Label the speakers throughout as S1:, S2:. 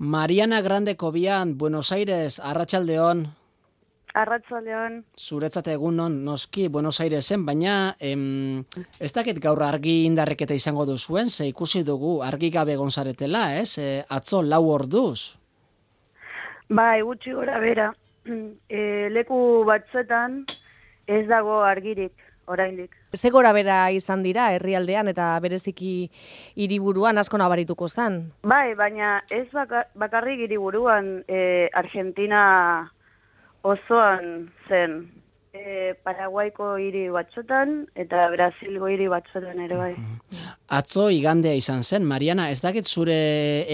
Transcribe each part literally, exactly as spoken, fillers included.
S1: Mariana Grande Kobian, Buenos Aires, arratsaldeon.
S2: Arratsaldeon.
S1: Zuretzat egunon noski Buenos Airesen, baina em, ez dakit gaur argi indarreketa izango duzuen, ze ikusi dugu argi gabe egon zaretela, ez? E, atzo lau orduz.
S2: Bai, gutxi gora bera. E, leku batzuetan ez dago argirik, oraindik.
S3: Ze gora bera izan dira herrialdean eta bereziki hiriburuan asko nabarituko zan?
S2: Bai, baina ez baka, bakarrik hiriburuan e, Argentina osoan zen. E, Paraguaiko hiri batzuetan eta Brasilgo hiri batzuetan ere bai.
S1: Atzo igandea izan zen, Mariana, ez dakit zure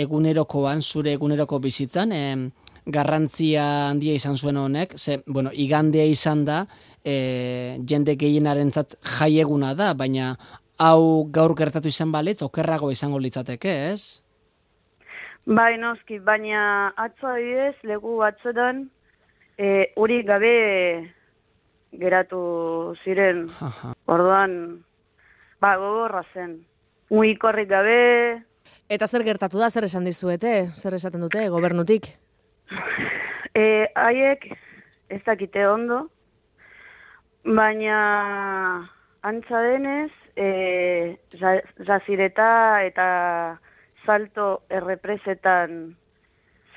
S1: egunerokoan, zure eguneroko bizitzan, em, garrantzia handia izan zuen honek, ze, bueno, igandea izan da, e, jende gehienarentzat jaieguna da, baina hau gaur gertatu izan balitz, okerrago izango litzateke, ez?
S2: Bai, noski, baina atzo adibidez, leku batzuetan, e, uri gabe geratu ziren.
S1: Aha.
S2: Orduan, ba, gogorra zen. Mugikorrik gabe.
S3: Eta zer gertatu da, zer esan dizuete, zer esaten dute gobernutik?
S2: E, haiek ez dakite ondo, baina antza denez, e, Jazireta eta Salto errepresetan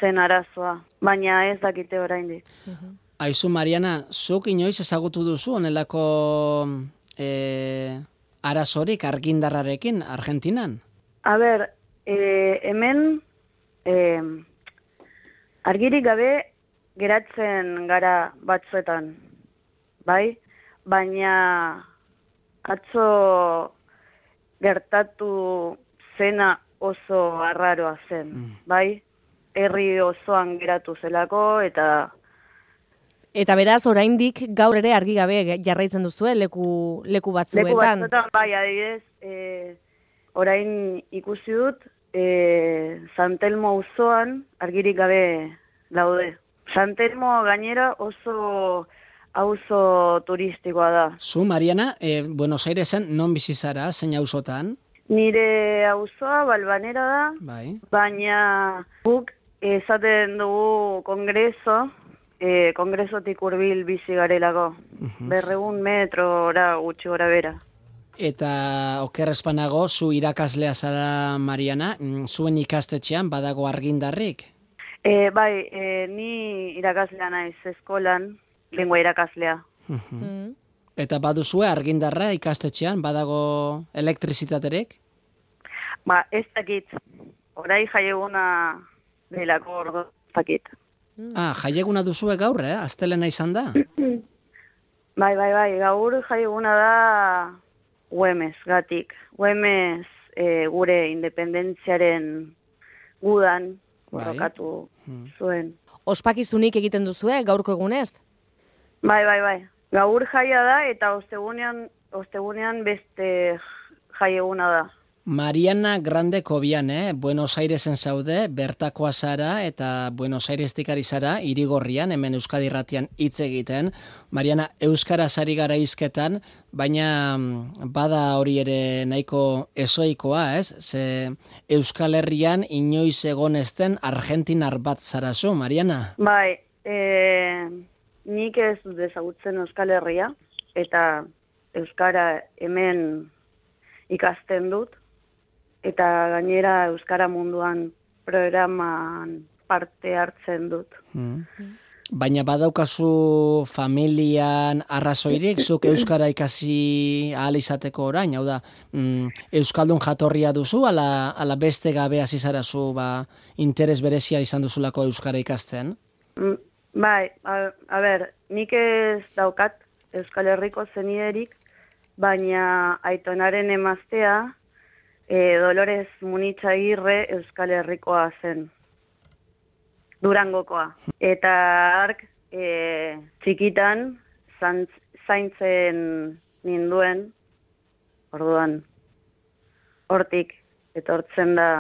S2: zen arazoa, baina ez dakite oraindik.
S1: Aizu, Mariana, zuk inoiz ezagutu duzu onelako e, arazorik argindarrarekin Argentinan?
S2: A ber, e, hemen e, argirik gabe geratzen gara batzuetan, bai? Baina atzo gertatu zena oso arraroa zen, mm. bai? Herri osoan geratu zelako eta...
S3: Eta beraz, oraindik gaur ere argi gabe jarraitzen duzue leku, leku batzuetan.
S2: Leku batzuetan, bai, adibidez, e, orain ikusi dut, e, San Telmo auzoan argirik gabe daude. San Telmo gainera oso auzo turistikoa da.
S1: Zu, Mariana, e, Buenos Airesen non bizi zara, zein auzotan?
S2: Nire auzoa Balbanera da,
S1: Bai.
S2: baina guk esaten dugu kongreso, e, kongresotik hurbil bizi garelako. Uh-huh. Berregun metrora gutxi gora bera.
S1: Eta okerrezpanago, zu irakaslea zara, Mariana, zuen ikastetxean badago argindarrik?
S2: E, bai, e, ni irakaslea naiz eskolan, lengua irakaslea.
S1: Uh-huh. Mm. Eta baduzue argindarra ikastetxean, badago elektrizitaterek?
S2: Ba, ez dakit. Orai jaieguna delako ordo, ez dakit.
S1: Ah, jaieguna duzue gaur, eh? Astelena izan da?
S2: Bai, bai, bai, gaur jaieguna da Güemes, gatik. Güemes e, gure independentziaren gudan borrokatu bai. Zuen.
S3: Ospakizunik egiten duzue gaurko egunez?
S2: Bai, bai, bai. Gaur jaia da eta ostegunean, ostegunean beste jaieguna da.
S1: Mariana Grande Kobian, eh? Buenos Airesen zaude, bertakoa zara eta Buenos Airestik ari zara, Irigorrian, hemen Euskadi Irratian hitz egiten. Mariana, euskaraz ari gara hizketan, baina bada hori ere nahiko ezoikoa, ez? Ze Euskal Herrian inoiz egon ezten argentinar bat zarazu, Mariana?
S2: Bai, e, nik ez dut ezagutzen Euskal Herria, eta euskara hemen ikasten dut. Eta gainera euskara munduan programan parte hartzen dut.
S1: Hmm. Baina badaukazu familian arrazoirik, zuk euskara ikasi ahal izateko orain, hau da, mm, euskaldun jatorria duzu, ala, ala beste gabe hasi zarazu ba, interes berezia izan duzulako euskara ikasten?
S2: Mm, bai, a, a ber, nik ez daukat Euskal Herriko zeniderik, baina aitonaren emaztea, E, Dolores Munitxagirre Euskal Herrikoa zen, Durangokoa. Eta ark e, txikitan zantz, zaintzen ninduen, orduan, hortik etortzen da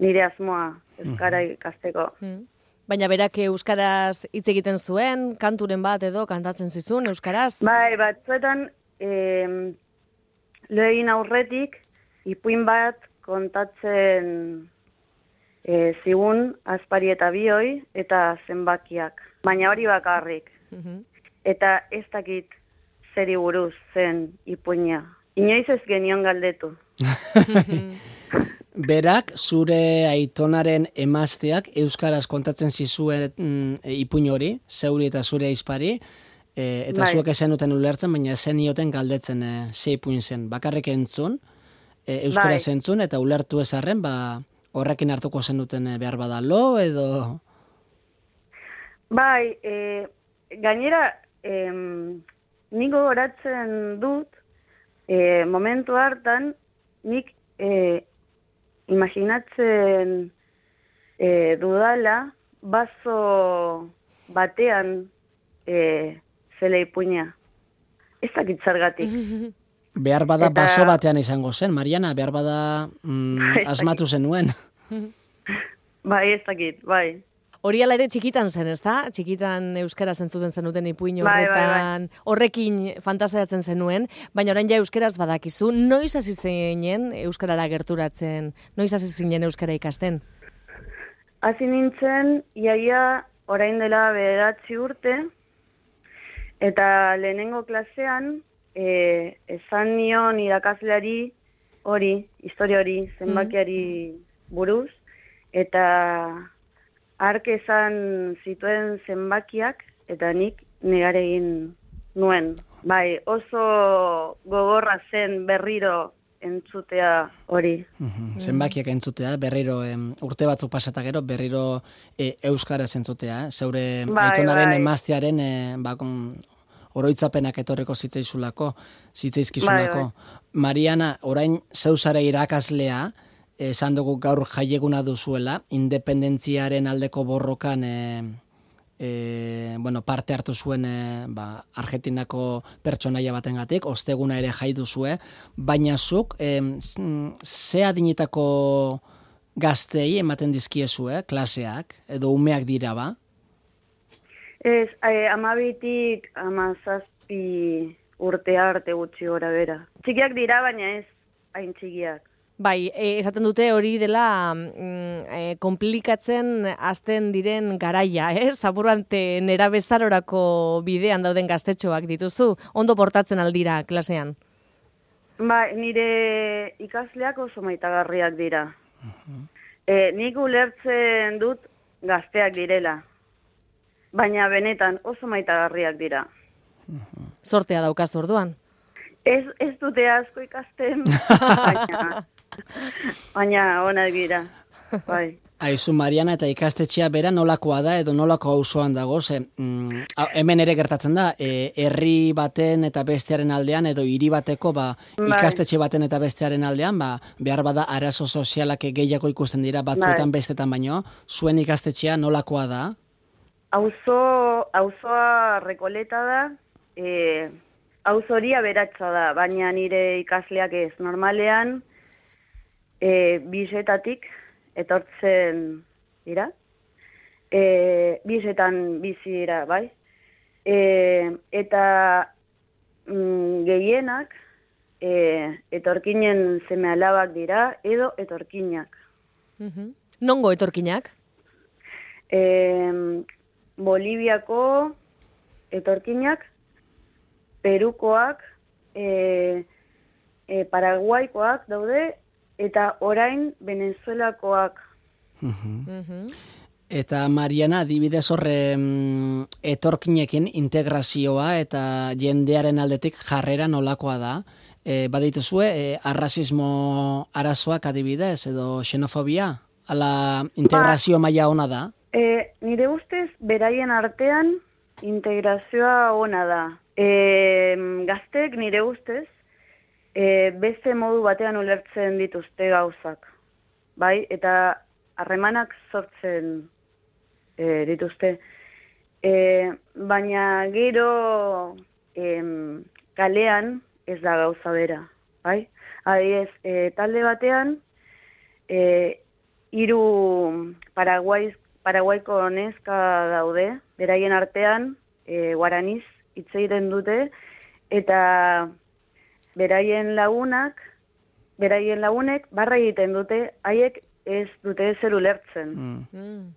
S2: nire asmoa Euskara ikasteko.
S3: Mm. Baina berak euskaraz hitz egiten zuen, kanturen bat edo kantatzen zizun euskaraz?
S2: Bai, batzuetan e, lo egin aurretik, ipuin bat kontatzen e, zigun, azpari eta bioi, eta zenbakiak. Baina hori bakarrik. Eta ez dakit zeri buruz zen ipuina. Inoiz ez genion galdetu.
S1: Berak, zure aitonaren emazteak euskaraz kontatzen zizuen mm, ipuin hori, zeuri eta zure aizpari, e, eta
S2: Bai.
S1: zuek ezen uten ulertzen, baina zen ioten galdetzen e, ze ipuin zen. Bakarrik entzun, e, euskaraz
S2: Bai.
S1: entzun, eta ulertu ezarren, ba, horrekin hartuko zen duten e, behar badalo, edo...
S2: Bai, e, gainera, em, nik gogoratzen dut, e, momentu hartan, nik e, imaginatzen e, dudala, bazo batean e, zela ipuina. Ez dakit zergatik.
S1: Behar bada
S2: Eta-
S1: baso batean izango zen, Mariana, behar bada mm, asmatu zenuen.
S2: Bai, ez dakit, bai.
S3: Hori ala ere txikitan zen, ezta? Txikitan euskaraz entzuten zenuten ipuin
S2: Bai, bai,
S3: horretan, horrekin fantasiatzen zenuen, baina orain ja euskaraz badakizu. Noiz hasi zinen euskarara gerturatzen? Noiz hasi zinen euskara ikasten?
S2: Hasi nintzen, iaia orain dela bederatzi urte, eta lehenengo klasean, e, esan nion irakasleari hori, historia hori, zenbakiari buruz, eta hark esan zituen zenbakiak, eta nik negar egin nuen. Bai, oso gogorra zen berriro entzutea hori.
S1: Mhm, zenbakiak entzutea, berriro em, urte batzuk pasata gero, berriro e, euskaraz entzutea, eh? Zeure
S2: Bai,
S1: aitonaren
S2: bai.
S1: emaztearen e, ba, kon- oroitzapenak etorreko zitzaizulako, zitzaizkizulako.
S2: Bai,
S1: Mariana, orain zeuzara irakaslea, esan dugu gaur jaieguna duzuela, independentziaren aldeko borrokan e, e, bueno, parte hartu zuen e, ba, Argentinako pertsonaia batengatik, osteguna ere jai duzue, baina zuk e, ze adinetako gaztei ematen dizkiezue, klaseak, edo umeak dira ba?
S2: Ez, eh, amabitik amazazpi urte arte gutxi gora bera. Txikiak dira, baina ez hain txikiak.
S3: Bai, e, esaten dute hori dela mm, e, komplikatzen hasten diren garaia, ez? Zaburante nera bezarorako bidean dauden gaztetxoak dituzu, ondo portatzen aldira klasean.
S2: Ba, nire ikasleak oso maitagarriak dira. E, nik ulertzen dut gazteak direla, baina benetan oso maitagarriak dira.
S3: Sortea daukazu orduan.
S2: Ez, ez dute asko ikasten, baina, baina onak dira. Bai.
S1: Aizu, Mariana, eta ikastetxea bera nolakoa da edo nolako auzoan dago, ze mm, hau, hemen ere gertatzen da, e, herri baten eta bestearen aldean edo hiri bateko ba,
S2: Bai.
S1: ikastetxe baten eta bestearen aldean, ba, behar bada arazo sozialak gehiago ikusten dira batzuetan
S2: Bai.
S1: bestetan baino, zuen ikastetxea nolakoa da?
S2: Auzo, auzoa Rekoleta da, e, auzo hori aberatsa da, baina nire ikasleak ez. Normalean, e, bizetatik etortzen dira, e, bizetan bizi dira, bai. E, eta mm, gehienak e, etorkinen seme alabak dira, edo etorkinak.
S3: Mhm. Nongo etorkinak?
S2: E, Boliviako etorkinak, Perukoak, e, e, Paraguaikoak daude, eta orain Venezuelakoak.
S3: Mhm.
S1: Eta Mariana, adibidez horre mm, etorkinekin integrazioa eta jendearen aldetik jarrera nolakoa da. E, badituzue, e, arrazismo arazoak adibidez edo xenofobia? Ala integrazio maila ona da?
S2: E, nire ustez, beraien artean integrazioa ona da. E, gaztek nire ustez, e, beste modu batean ulertzen dituzte gauzak. Bai, eta harremanak sortzen e, dituzte. E, baina gero em, kalean ez da gauza bera. Bai? Adibidez, e, talde batean, e, hiru Paraguaiz Paraguaiko neska daude, beraien artean e, guaraniz hitz egiten dute, eta beraien lagunak, beraien lagunek barra egiten dute, haiek ez dute ezer ulertzen.
S1: Mm.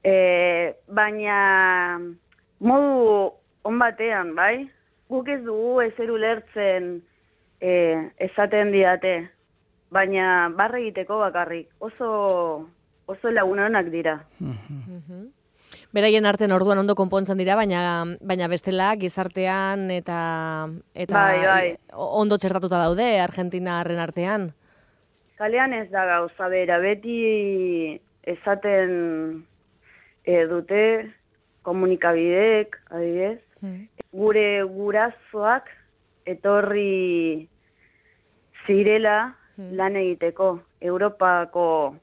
S2: E, baina modu on batean, bai? Guk ez dugu ezer ulertzen e, esaten diate, baina barre egiteko bakarrik. Oso, oso lagunonak dira.
S3: Mhm. Beraien artean orduan ondo konpontzen dira, baina baina bestela gizartean eta eta
S2: Bai, bai.
S3: ondo txertatuta daude Argentinarren artean.
S2: Kalean ez da gauza bera, beti esaten e, dute komunikabideek, adibidez,
S3: Hmm.
S2: gure gurasoak etorri zirela
S3: Hmm.
S2: lan egiteko, Europako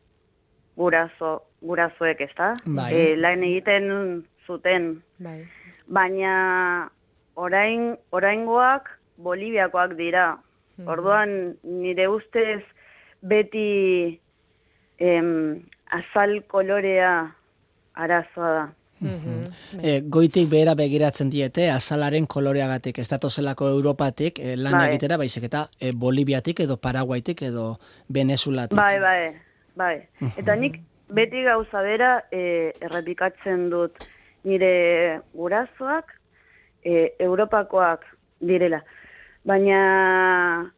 S2: guraso, gurasoek, ez da?
S1: Bai.
S2: E, lan egiten zuten,
S3: Bai.
S2: baina orain oraingoak Boliviakoak dira.
S3: Mhm.
S2: Orduan nire ustez beti em, azal kolorea arazoa da.
S3: Mhm.
S1: E, goitik behera begiratzen diete, azalaren koloreagatik, ez datozelako Europatik e, lan
S2: Bai.
S1: egitera, baizik eta e, Boliviatik edo Paraguaitik edo Venezuelatik.
S2: Bai, bai, bai. Eta nik beti gauza bera e, errepikatzen dut nire gurasoak e, Europakoak direla. Baina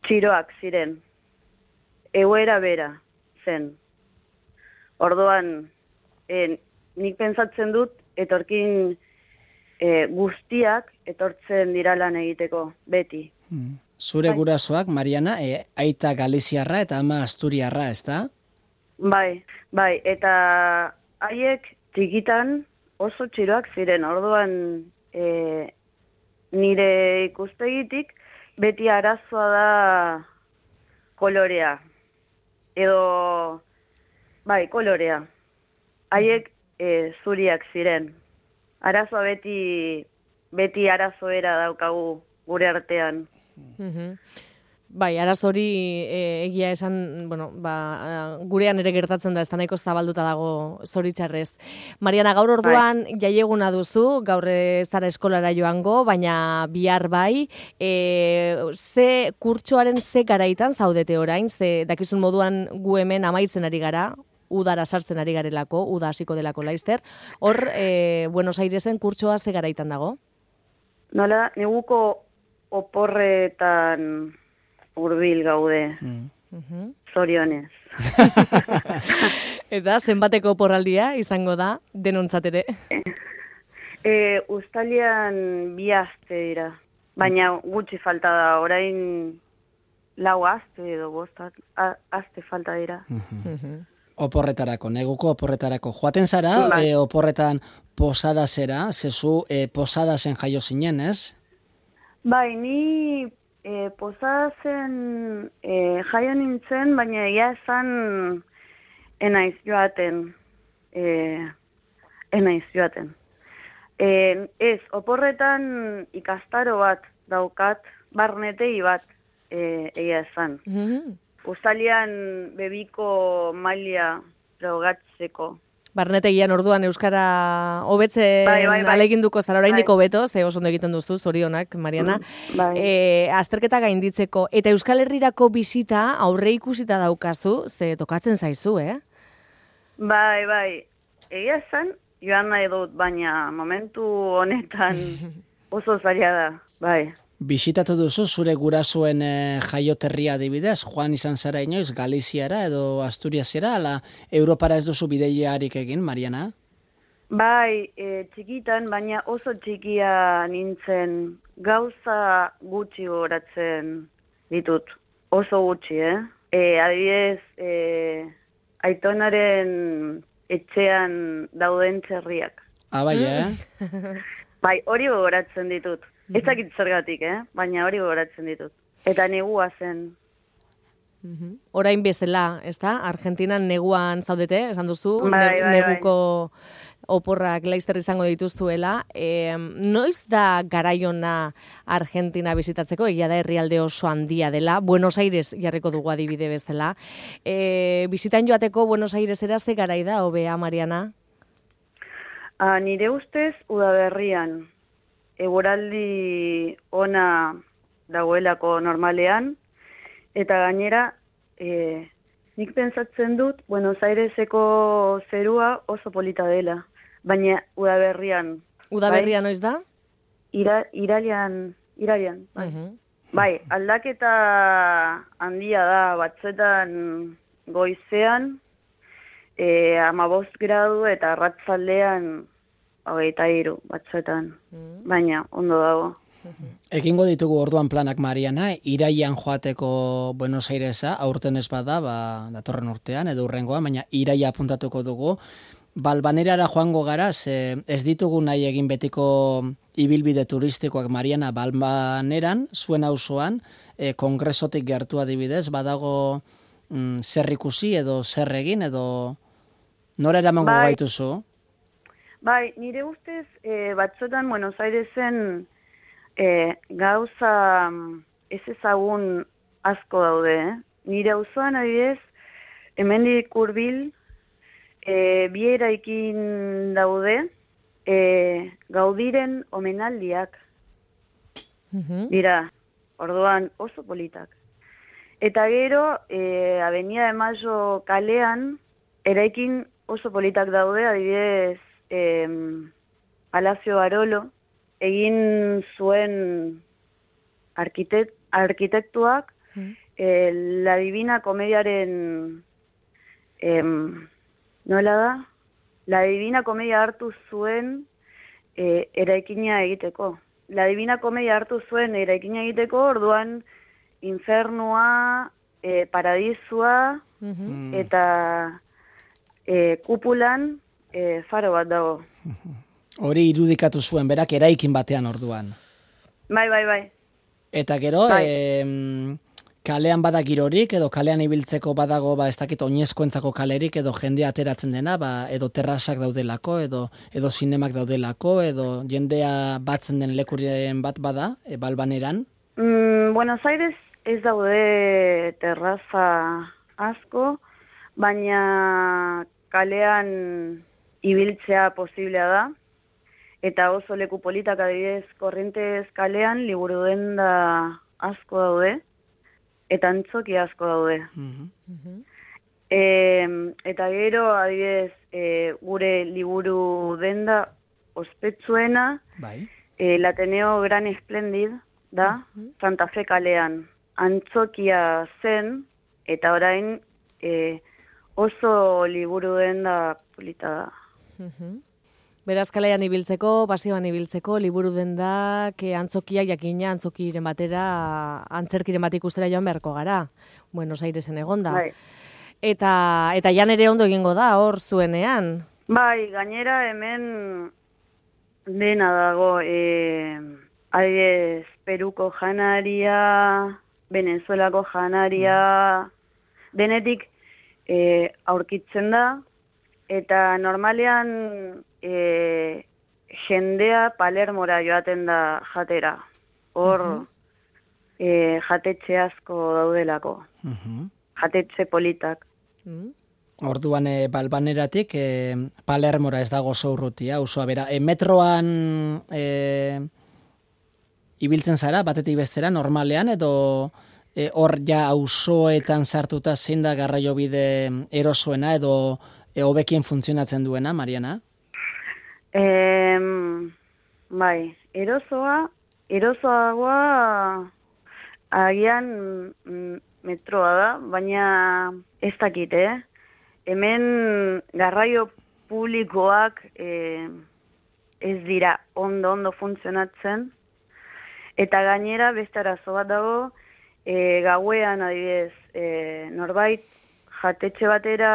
S2: txiroak ziren. Egoera bera zen. Orduan, e, nik pentsatzen dut etorkin e, guztiak etortzen dira lan egiteko, beti.
S1: Mm. Zure
S2: Bai.
S1: gurasoak, Mariana, e, aita Galiziarra eta ama Asturiarra, ez da?
S2: Bai, bai, eta haiek txikitan oso txiroak ziren, orduan e, nire ikustegitik beti arazoa da kolorea, edo, bai, kolorea. Haiek e, zuriak ziren. Arazoa beti, beti arazoera daukagu gure artean.
S3: Mhm. Bai, arazo hori e, egia esan, bueno, ba, gurean ere gertatzen da, ez da nahiko zabalduta dago zoritxarrez. Mariana, gaur orduan jaieguna duzu, gaur ez zara eskolara joango, baina bihar bai, e, ze kurtsoaren ze garaitan zaudete orain, ze dakizun moduan gu hemen amaitzen ari gara, udara sartzen ari garelako, uda hasiko delako laizter. Hor, e, Buenos Airesen kurtsoa ze garaitan dago?
S2: Nola, neguko oporretan hurbil gaude,
S1: Mm.
S3: Mhm.
S2: zorionez.
S3: Eta zenbateko porraldia izango da denontzat ere?
S2: E, Uztailean bi aste dira, baina gutxi falta da, orain lau aste edo bost a- aste falta dira.
S3: Mhm.
S1: Oporretarako, neguko oporretarako. Joaten zara,
S2: Bai.
S1: e, oporretan posadasera, zezu e, posadasen jaio zinen, ez?
S2: Bai, ni e, posatzen e, jaio nintzen, baina egia esan enaiz joaten. E, enaiz joaten. E, ez, oporretan ikastaro bat daukat, barnetei bat e, egia esan.
S3: Mhm.
S2: Uztailean bebiko maila frogatzeko.
S3: Barnetegian orduan euskara hobetzen
S2: Bai, bai, bai.
S3: ahaleginduko zara oraindik
S2: Bai.
S3: hobeto, ze oso ondo egiten duzu, zorionak, Mariana.
S2: Bai.
S3: E, azterketa gainditzeko eta Euskal Herrirako bisita aurre ikusita daukazu, ze tokatzen zaizu, eh?
S2: Bai, bai. Egia esan, joan nahi dut, baina momentu honetan oso zaila da. Bai.
S1: Bisitatu duzu zure gurasoen e, jaioterria adibidez, joan izan zara inoiz Galiziara edo Asturiasera, ala Europara ez duzu bideiarik egin, Mariana?
S2: Bai, e, txikitan, baina oso txikia nintzen, gauza gutxi goratzen ditut. Oso gutxi, eh? E, adibidez, e, aitonaren etxean dauden txerriak.
S1: Ah, bai, eh?
S2: Bai, hori gogoratzen ditut. Ez dakit zergatik, eh? Baina hori gogoratzen ditut. Eta negua zen.
S3: Mhm. Orain bezala, ezta? Argentinan neguan zaudete, esan duzu,
S2: Bai,
S3: ne-
S2: bai,
S3: neguko oporrak laizter izango dituztuela. E, noiz da garaiona Argentina bizitatzeko, egia da herrialde oso handia dela, Buenos Aires jarriko dugu adibide bezala. E, bizitan joateko Buenos Airesera ze garai da, hobea, Mariana?
S2: Ah, nire ustez, udaberrian, eguraldi ona dagoelako normalean, eta gainera, e, nik pentsatzen dut Buenos Aireseko zerua oso polita dela, baina udaberrian.
S3: Udaberrian noiz da?
S2: Ira, iraian, iraian, bai.
S3: Uh-huh.
S2: Bai, aldaketa handia da, batzuetan goizean, e, amabost gradu eta arratzaldean hogeita hiru batzuetan, mm. baina ondo dago.
S1: Egingo ditugu orduan planak, Mariana, iraian joateko Buenos Airesa, aurten ez bada, ba, datorren urtean edo urrengoa, baina iraia apuntatuko dugu. Balbanerara joango gara, ze ez ditugu nahi egin betiko ibilbide turistikoak, Mariana, Balbaneran, zuen auzoan, e, kongresotik gertu adibidez, badago mm, zer ikusi edo zer egin edo nora eramango
S2: bai,
S1: gaituzu?
S2: Bai, nire ustez, e, batzuetan Buenos Airesen e, gauza ez ezagun asko daude, eh? Nire auzoan adibidez, hemendik hurbil, E, bi eraikin daude, e, Gaudiren omenaldiak.
S3: Uh-huh.
S2: Dira, orduan oso politak. Eta gero, e, Avenida de Mayo kalean, eraikin oso politak daude, adibidez, e, Palacio Barolo, egin zuen arkitek, arkitektuak, uh-huh. e, La Divina Komediaren... Em, nola da? La Divina Komedia hartu zuen e, eraikina egiteko. La Divina Komedia hartu zuen eraikina egiteko, orduan infernua, e, paradisua,
S3: uh-huh.
S2: eta e, kupulan e, faro bat dago.
S1: Hori irudikatu zuen, berak eraikin batean orduan.
S2: Bai, bai, bai.
S1: Eta gero,
S2: bai.
S1: E, kalean bada girorik, edo kalean ibiltzeko badago, ba, ez dakit, oinezkoentzako kalerik, edo jendea ateratzen dena, ba, edo terrasak daudelako, edo edo zinemak daudelako, edo jendea batzen den lekurien bat bada, e, Balbaneran?
S2: Mm, Buenos Aires ez daude terraza asko, baina kalean ibiltzea posiblea da, eta oso leku politak adibidez Korrientes kalean liburu denda asko daude, eta antzoki asko daude.
S1: Uh-huh.
S2: E, eta gero, adibidez, e, gure liburu denda ospetsuena,
S1: bai.
S2: e, Ateneo Gran Esplendid, da, uh-huh. Santa Fe kalean. Antzokia zen, eta orain e, oso liburu denda polita da.
S3: Uh-huh. Beraz, kalean ibiltzeko, pasioan ibiltzeko, liburu dendak, antzokiak jakina, antzokiren batera, antzerkiren bat ikustera joan beharko gara. Buenos Airesen egonda.
S2: Bai.
S3: Eta, eta jan ere ondo egingo da, hor zuenean.
S2: Bai, gainera hemen dena dago, e, adibidez, Peruko janaria, Venezuelako janaria, denetik e, aurkitzen da, eta normalean e, jendea Palermora joaten da jatera. Hor uh-huh. e, jatetxe asko daudelako.
S1: Uh-huh.
S2: Jatetxe politak.
S3: Uh-huh.
S1: Orduan e, Balbaneratik e, Palermora ez dago oso urrutia, osoa bera. E, metroan e, ibiltzen zara, batetik bestera, normalean, edo e, hor ja auzoetan sartuta zein da garraiobide erosoena, edo e, hobekien funtzionatzen duena, Mariana?
S2: E, bai, erosoa, erosoagoa agian mm, metroa da, baina ez dakit, eh? Hemen garraio publikoak eh, ez dira ondo-ondo funtzionatzen, eta gainera beste arazo bat dago, eh, gauean adibidez, eh, norbait jatetxe batera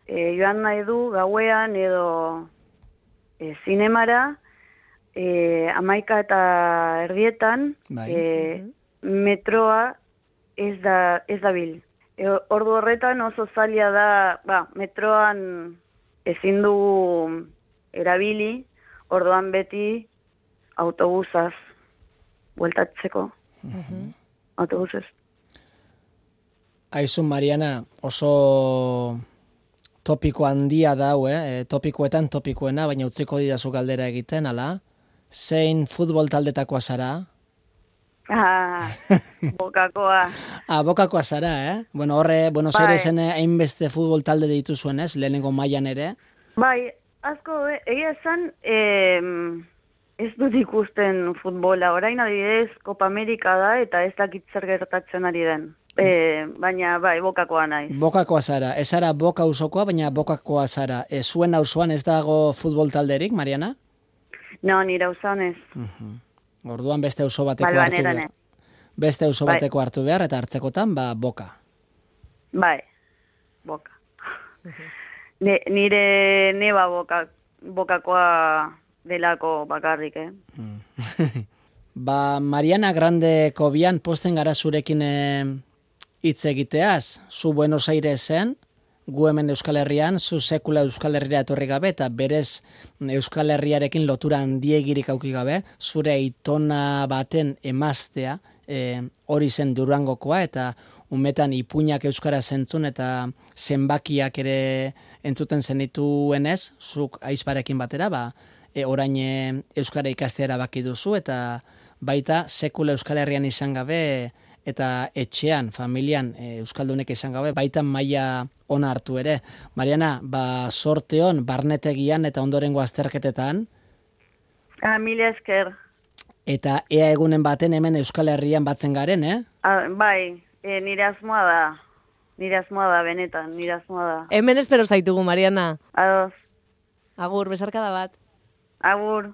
S2: eh, joan nahi du gauean edo eh, zinemara, eh, amaika eta erdietan,
S1: bai.
S2: eh, metroa ez da, ez da bil. E, ordu horretan oso zaila da, ba, metroan ezin dugu erabili, orduan beti autobusaz bueltatzeko.
S3: Uh-huh.
S2: Autobusez.
S1: Aizun, Mariana, oso topiko handia dau, eh? Topikoetan topikoena, baina utziko didazu galdera egiten, ala? Zein futbol taldetakoa zara?
S2: Ah, bokakoa.
S1: Ah, bokakoa zara, eh? Bueno, horre, Buenos
S2: Bai.
S1: Airesen hainbeste futbol talde dituzuen, ez? Lehenengo mailan ere.
S2: Bai, asko, eh, egia esan, eh, ez dut ikusten futbola. Orain adibidez, Copa Amerika da eta ez dakit zer gertatzen ari den. Eh, baina, bai, bokakoa naiz.
S1: Bokakoa zara, ez zara boka auzokoa, baina bokakoa zara. Ez zuen auzoan ez dago futbol talderik, Mariana?
S2: No, nire auzoan ez.
S1: Orduan beste auzo bateko hartu
S2: Balbaneran
S1: behar.
S2: ez.
S1: Beste auzo
S2: Bai.
S1: bateko hartu behar eta hartzekotan, ba, boka.
S2: Bai, boka. Ne, nire neba boka, bokakoa delako bakarrik, eh?
S1: Ba, Mariana Grande Kobian posten gara zurekin eh, hitz egiteaz. Zu Buenos Airesen, gu hemen Euskal Herrian, zu sekula Euskal Herriera etorri gabe, eta berez Euskal Herriarekin lotura handiegirik auki gabe, zure aitona baten emaztea, eh, hori zen Durangokoa, eta umetan ipuinak euskara zentzun, eta zenbakiak ere entzuten zenituenez, zuk aizparekin batera, ba, e, orain e, euskara ikastea erabaki duzu, eta baita sekula Euskal Herrian izan gabe, eta etxean, familian, e, euskaldunek izan gabe, baita maila ona hartu ere. Mariana, ba, sorte hon, barnetegian eta ondorengo azterketetan,
S2: Ah, mila esker.
S1: eta ea egunen baten hemen Euskal Herrian batzen garen, eh?
S2: Ah, bai, e, nire asmoa da. Nire asmoa da, benetan, nire asmoa da.
S3: Hemen espero zaitugu, Mariana.
S2: Ados,
S3: Agur, besarkada bat.
S2: agur.